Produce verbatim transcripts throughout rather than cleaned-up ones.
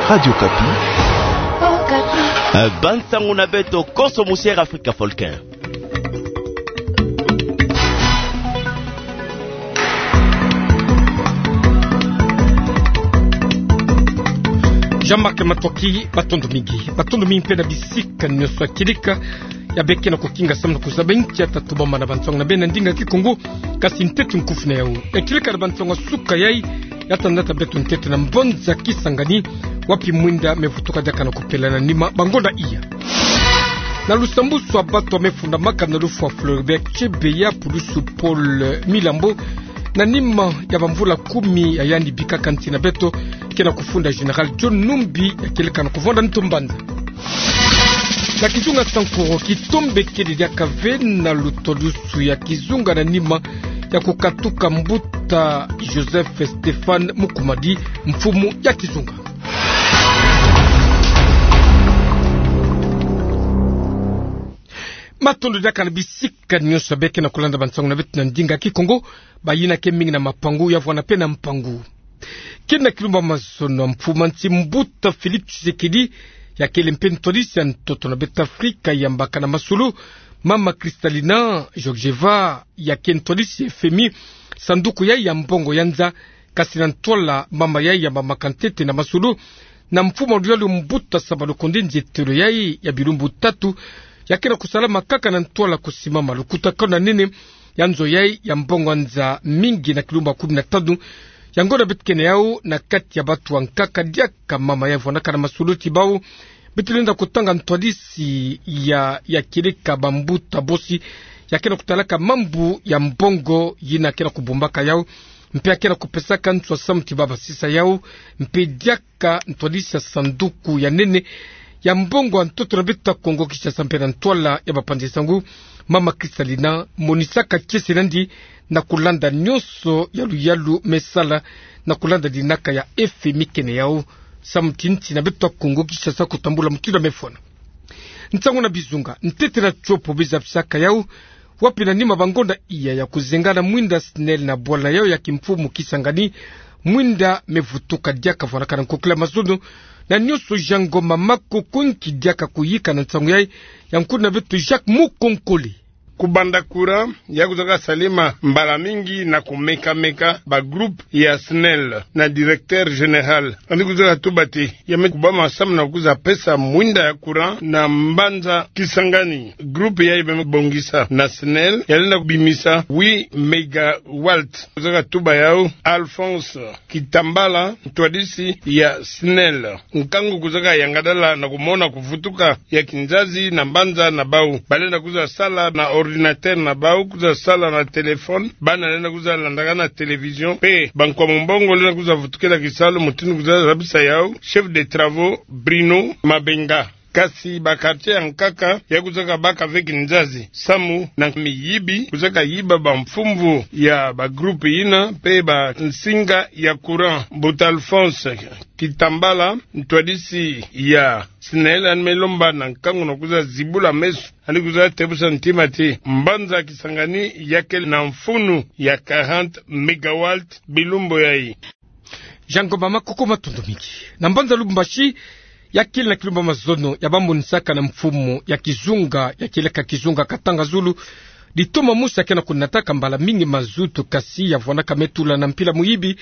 Radio Okapi. Eh, bansangu na beto konso musiere Afrika Folken. Jean-Marc Matoki, matondo mingi. Matondo mingi mpe na bisika nyonso ya kieleka ya beke na kokinga samu na kuzaba inki ya tatu bamba na bansangu na beno na ndinga Kikongo. Kasi ntete nkufi na yau ya kieleka na bansangu ya suka yai, ya tandata beto ntete na mbanza Kisangani, wapi mwinda mevutuka diaka na kupela na nima bangonda iya. Na lusambusu ya bato ya mefundamaka na lufwa Floribert Chebeya, pulusu Paul Milambo, na nima ya bamvula kumi ya yandi bikaka nsi na beto, ke na kufunda Général John Numbi ya kieleka na kuvanda ntu mbanza. Na kizunga Sankuru, kitombe kele diaka ve na lutwadusu ya kizunga na nima ya kukatuka mbuta Joseph Stéphane Mukumadi, mfumu ya kizunga. Matondo diaka na bisika nyonso ya beke na kulanda bansangu na beto na ndinga Kikongo, bayina ke mingi na mapangu ya vwanda mpe na mpangu. Kele na kilumbu ya mazono, mfumu ya nsi mbuta Félix Tshisekedi, ya kele mpe ntwadisi ya ntoto na Bêta Afrika, yambaka na masolo mama Kristalina Georgieva, ya ke ntwadisi ya F M I, sanduku yai ya mbongo ya nza, kasi na ntwala mama yai yambamaka ntete na masolo na mfumu ya luyalu mbuta Sama Lukonde, nzietelo yai ya bilumbu tatu, ya ke na kusalama kaka na ntwala kusimama lukutakanu ya nene ya nzo yai ya mbongo ya nza mingi na kilumbu ya kumi na tanu. Yango na beto ke na yau na kati ya bato ya nkaka diaka mama yai vwandaka na masolo ti bau beto lenda kutanga ntwadisi ya, ya kieleka bambuta bosi, ya ke na kutalaka mambu ya mbongo yina ke na kubombaka yau, mpe ya ke na kupesaka nswa samu ti bau basisa yau, mpe diaka ka ntwadisi ya sanduku ya nene ya mbongo ya ntoto na beto ya Kongo Kinshasa mpe na ntwala ya bapanzi sango, mama Kristalina monisaka kiese na yandi na kulanda nyonso ya luyalu mesala, na kulanda dinaka ya F M I ke na yau, samu ti nsi na beto ya Kongo Kinshasa kutambula mutindu ya mefwana. Nsangu na bizunga, ntete na tiopo bizabisaka yau, wapi na nima bangonda iya ya kuzengana mwinda SNEL na bwala yau ya kimfumu Kisangani, mwinda mevutuka diaka vwandaka na nkokila mazono, na nyonso Jean Ngoma Makoko nki diaka kuyika na nsangu yai, ya nkulu na beto Jacques Mukonkole. Kubanda courant ya kuzaka salema mbala mingi na kumeka-meka ba groupe ya SNEL na directeur général, yandi kuzaka tuba ti ya me kubama samu na kuza pesa mwinda ya courant na mbanza Kisangani. Groupe yai bamebongisa na SNEL ya lenda kubimisa huit mégawatts. Kuzaka tuba yau Alphonse Kitambala, ntwadisi ya SNEL. Nkangu kuzaka yangadala na kumona kuvutuka ya kinzazi na mbanza na bau. Balenda kuza sala na ordinateur na bau, kuza sala na téléphone, bana lenda kuza landaka na télévision, mpe bankwa mumbongo lenda kuza vutukila kisalu, mutindu kuza zabisa yau chef de travaux Bruno Mabenga. Kasi ba quartier ya nkaka ya kuzaka baka ve kinzazi samu na miyibi kuzaka yiba bamfumvu ya ba groupe yina mpe bansinga ya courant. Mbuta Alphonse Kitambala, ntwadisi ya SNEL, yandi me lomba na nkangu na kuza zibula meso, yandi kuza tebusa ntima ti mbanza Kisangani ya kele na mfunu ya quarante mégawatts bilumbu yai. Jean Ngoma Makoko, matondo mingi. Na mbanza Lubumbashi, ya kele na kilumbu ya mazono ya bamonisaka na mfumu ya kizunga, ya kieleka kizunga Katanga Zulu, ditoma mosi ya ke na kunataka mbala mingi mazutu, kasi ya vwandaka me tula na mpila muyibi.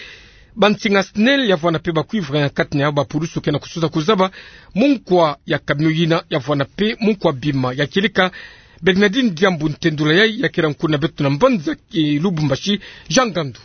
Bansinga SNEL ya vwanda mpe ba cuivre, ya kati na yau bapulusu ke na kusuza kuzaba munkwa ya camion yina ya vwanda mpe munkwa bima. Ya kieleka Bernardine Diambu, ntendula yai ya kele nkulu na beto na mbanza, eh, Lubumbashi, Jean Ngandu.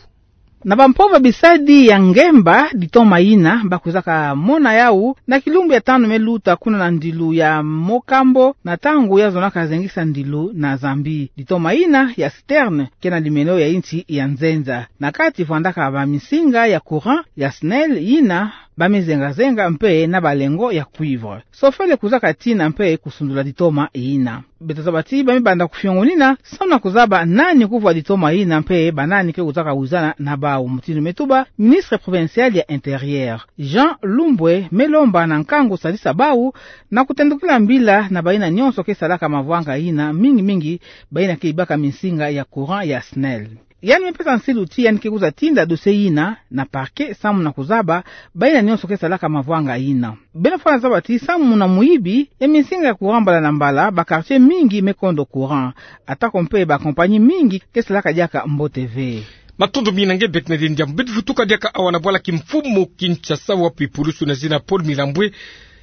Na bampova bisadi ya ngemba, ditoma yina ba kuzaka mona yau na kilumbu ya tanu me luta kuna na ndilu ya Mokambo, na ntangu ya zonaka zengisa ndilu na Zambie. Ditoma yina ya citerne ke na limelo ya insi ya nzenza. Na kati vwandaka baminsinga ya courant ya SNEL yina ba me zenga-zenga mpe na balengo ya cuivre. Sofele kuzaka tina mpe kusundula ditoma yina. Beto zaba ti ba me banda kufiongonina samu na kuzaba nani kuvwa ditoma yina mpe banani ke kuzaka wizana na bau, mutindu me tuba ministre provincial ya intérieur. Jean Lumbwe me lomba na nkangu sadisa bau na kutendukila mbila na bayina nyonso ke salaka mavwanga yina, mingi-mingi bayina ke yibaka minsinga ya courant ya SNEL. Yandi me pesa nsilu ti yandi ke kwiza tinda dossier yina na parquet samu na kuzaba bayina nyonso ke salaka mavwanga yina. Beno fwana zaba ti samu na muyibi ya minsinga ya courant mbala na mbala, ba quartier mingi me kondo courant, atako mpe ba compagnie mingi ke salaka diaka mbote ve. Matondo mingi na nge Bernadette Ndiambu. Beto vutuka diaka awa na bwala kimfumu Kinshasa, wapi pulusu na zina Paul Milambwe,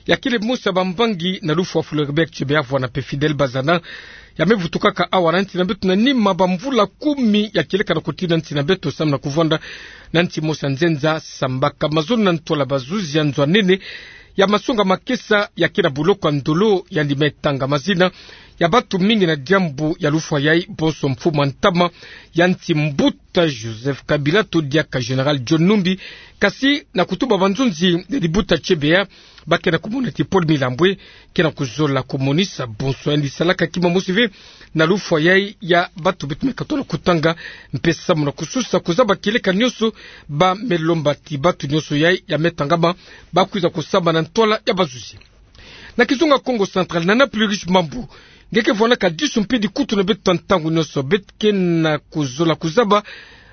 ya kele mosi ya bambangi na lufwa Floribert Chebeya, vwana mpe Fidèle Bazana, ya me vutukaka awa na nsi na beto na nima bamvula kumi ya kieleka na kutina nsi na beto samu na kuvwanda na nsi mosi ya nzenza Sambaka. Mazono na ntwala bazuzi ya nzo ya nene ya masonga makesa ya ke na boloko ya Ndolo, yandi me tanga mazina ya bato mingi na diambu ya lufwa yai, bonso mfumu ya ntama ya nsi, mbuta Joseph Kabila, to diaka Général John Numbi, kasi na kutuba banzonzi ya libota Chebeya, ba ke na kumona ti Paul Milambwe ke na kuzola kumonisa bonso yandi salaka kima mosi ve na lufwa yai ya bato beto me katola kutanga, mpe samu na kusosa kuzaba kieleka nyonso, ba me lomba ti bato nyonso yai ya me tangama ba kwiza kusamba na ntwala ya bazuzi. Na kizunga Kongo Central, Nana Plurish Mambu, nge ke vwanaka disu mpe dikutu na beto ntangu nyonso. Beto ke na kuzola kuzaba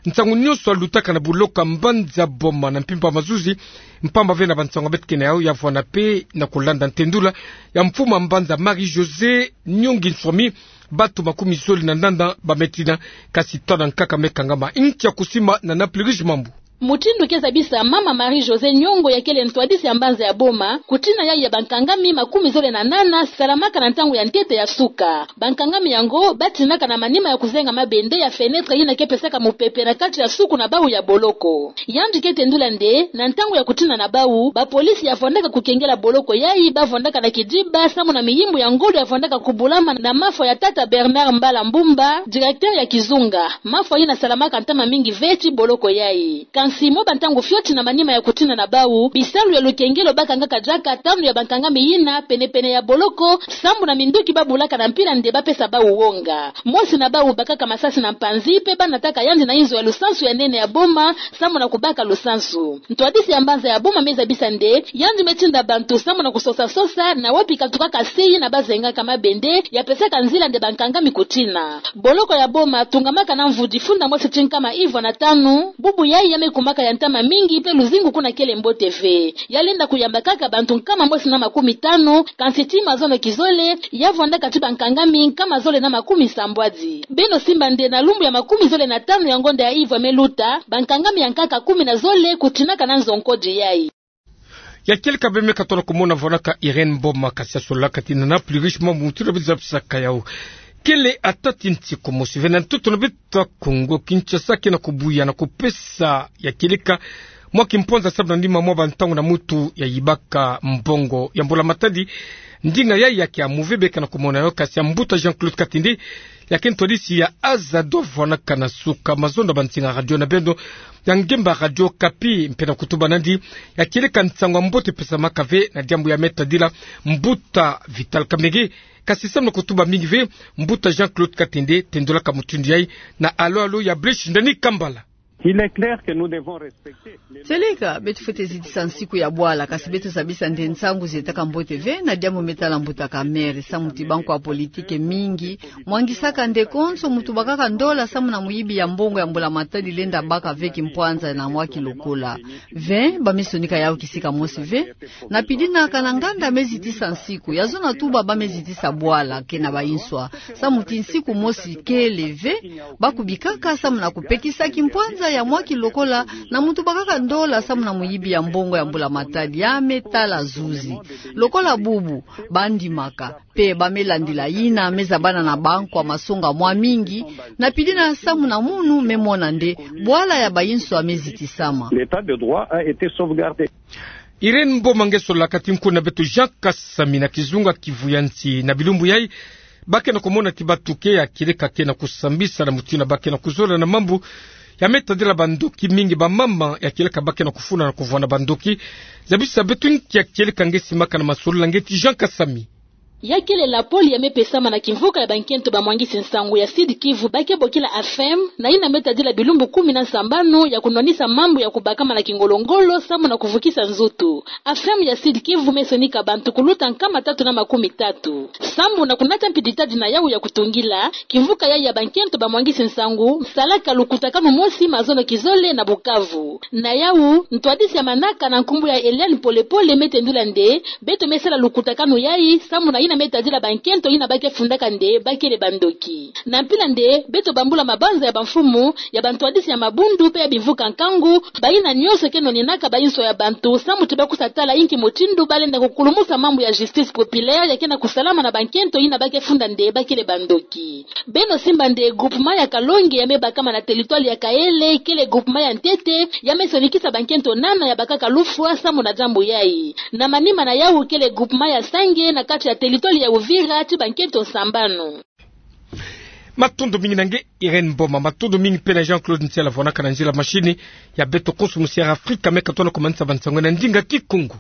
nsangu nyonso ya lutaka na boloko ya mbanza Boma na mpimpa mazuzi, mpamba ve na bansangu beto ke na yau, ya vwana mpe na kulanda ntendula ya mfumu ya mbanza Marie-Josée Nyongi Nswami, bato makumi zole na nana ba me tina, kasi tona nkaka me kangama. Nkia kusimbama na Nana Plurish Mambu? Mutindu ke zabisa mama Marie-Josée Nyongo, ya kele ntwadisi ya mbanza ya Boma, kutina yai ya bankangami makumi zole na nana salamaka na ntangu ya ntete ya suka. Bankangami yango ba tinaka na manima ya kuzenga mabende ya fenêtre yina ke pesaka mupepe na kati ya suku na bau ya boloko. Yandi ke tendula nde na ntangu ya kutina na bau, bapolisi ya vwandaka kukengela boloko yai ba vwandaka na kidiba samu na miyimbu ya ngolo ya vwandaka kubulama na mafwa ya tata Bernard Mbala Mbumba, directeur ya kizunga. Mafwa yina salamaka ntama mingi ve ti boloko yai. Kansi mwa bantangu fioti na manima ya kutina na bau, bisalu ya lukengelo ba kangaka diaka tanu ya bankangami yina pene-pene ya boloko, sambu na minduki ba bulaka na mpila nde ba pesa bau wonga. Mosi na bau bakaka masasi na mpanzi, mpe ba nataka yandi na inzo ya lusansu ya nene ya Boma, sambu na kubaka lusansu. Ntwadisi ya mbanza ya Boma me zabisa nde yandi me tinda bantu sambu na kusosa-sosa na wapi katukaka se yina ba zengaka mabende ya pesaka nzila nde bankangami kutina. Boloko ya Boma tungamaka na mvu difunda mosi ti nkama ivwa na tanu, bubu yai ya me kumaka ya ntama mingi mpe luzingu kuna kele mbote ve. Ya lenda kuyamba kaka bantu nkama mosi na makumi tanu, kansi ti mazono kizole, ya vwandaka ti bankangami nkama zole na makumi sambwadi. Beno simba nde na lumbu ya makumi zole na tanu ya ngonda ya ivwa me luta, bankangami ya nkaka kumi na zole kutinaka na nzo nkodi yai. Ya kieleka beno me katola kumona vwanaka Irène Mboma, kasi ya solaka ti Nana Plurish Mambu, mutindu beto zabisaka yau. Kele ata ti nsiku mosi ve na ntoto na beto ya Kongo Kinshasa ke na kubuya na kupesa ya kieleka mwa kimpwanza sambu na nima mwa bantangu na mutu ya yibaka mbongo ya mbula matadi. Ndinga yai ya kiamu ve, be ke na kumona yau, kasi ya mbuta Jean-Claude Katende, ya ke ntwadisi ya Azado, vwanaka na suka mazono na bansinga radio na beno ya ngemba Radio Okapi, mpe na kutuba nandi ya kieleka nsangu ya mbote pesamaka ve na diambu ya me tadila mbuta Vital Kamerhe. Kasi sambu na kutuba mingi ve, mbuta Jean-Claude Katende tendulaka mutindu yai na Allô Allô ya Blaise Ndani Kambala. Il est clair que nous devons respecter les... Seleka, beto fwete zitisa nsiku ya bwala, kasi beto zabisa nde nsangu zietaka mbote ve na diambu me tala mbuta Kamerhe, sambu ti bankwa politike mingi mwangisaka nde konso mutu bakaka ndola sambu na muyibi ya mbongo ya mbula matadi lenda baka ve kimpwanza na mwa kilokola. Ve, ba me sonika yau kisika mosi ve. Na pidina kana nganda me zitisa nsiku, ya zona tuba ba me zitisa bwala, ke na bayinswa. Sambu ti nsiku mosi kele ve, ba kubikaka sambu na kupekisa kimpwanza ya mwa kilokola na mutu bakaka ndola sambu na muyibi ya mbongo ya mbula matadi, ya me tala zuzi. Lokola bubu, ba ndimaka, mpe ba me landila yina me zabana na bankwa masonga mwa mingi, na pidina sambu na munu me mona nde bwala ya bayinswa me zitisama. L'état de droit a été sauvegardé. Irène Mboma nge solaka. Ti nkuna beto Jean Kasami na kizunga Kivu ya nsi. Na bilumbu yai, ba ke na kumona ti batuke ya kieleka ke na kusambisa na mutindu ba ke na kuzola na mambu ya me tadila bandoki mingi, bamama ya kieleka ba ke na kufuna na kuvwanda bandoki. Zabisa beto nki ya kieleka nge simaka na masolula nge ti Jean Kasami. Ya kele lapole ya me pesama na kimvuka ya bankento bamwangisi nsangu ya Sud-Kivu ba ke bokila AFEM, na yina me tadila bilumbu kumi na sambanu ya kunwanisa mambu ya kubakama na kingolo-ngolo samu na kuvukisa nzutu. AFEM ya Sud-Kivu me sonika bantu kuluta nkama tatu na makumi tatu. Samu na kunata mpi ditadi na yawu ya kutungila, kimvuka yayi ya bankento bamwangisi nsangu me salaka lukutakanu mosi mazono kizole na Bukavu. Na yawu, ntwadisi ya manaka na nkumbu ya Eliane Pole-Pole me tendula nde, beto me sala lukutakanu yayi, samu na yina me tadila bankento yina ba ke fundaka nde ba kele bandoki. Na mpila nde, beto bambula mabanza ya bamfumu, ya bantwadisi ya mabundu mpe ya bimvuka nkangu, bayina nyonso ke nwaninaka bayinso ya bantu, samu ti ba kusa tala inki mutindu ba lenda kukulumusa mambu ya justice populaire ya ke na kusalama na bankento yina ba ke funda nde ba kele bandoki. Beno simba nde groupement ya Kalonge ya me bakama na territoire ya Kaele, kele groupement ya ntete, ya me sonikisa bankento nana ya bakaka lufwa samu na diambu yayi. Na manima na yawu kele groupement ya Sange na kati ya territoire ya Uvira ti bankento sambanu. Matondo mingi na nge, Irène Mboma. Matondo mingi mpe na Jean-Claude Ntiala vwanaka na nzila machine. Ya beto konso musi ya Afrika me katona kumanisa bansangu na ndinga Kikongo.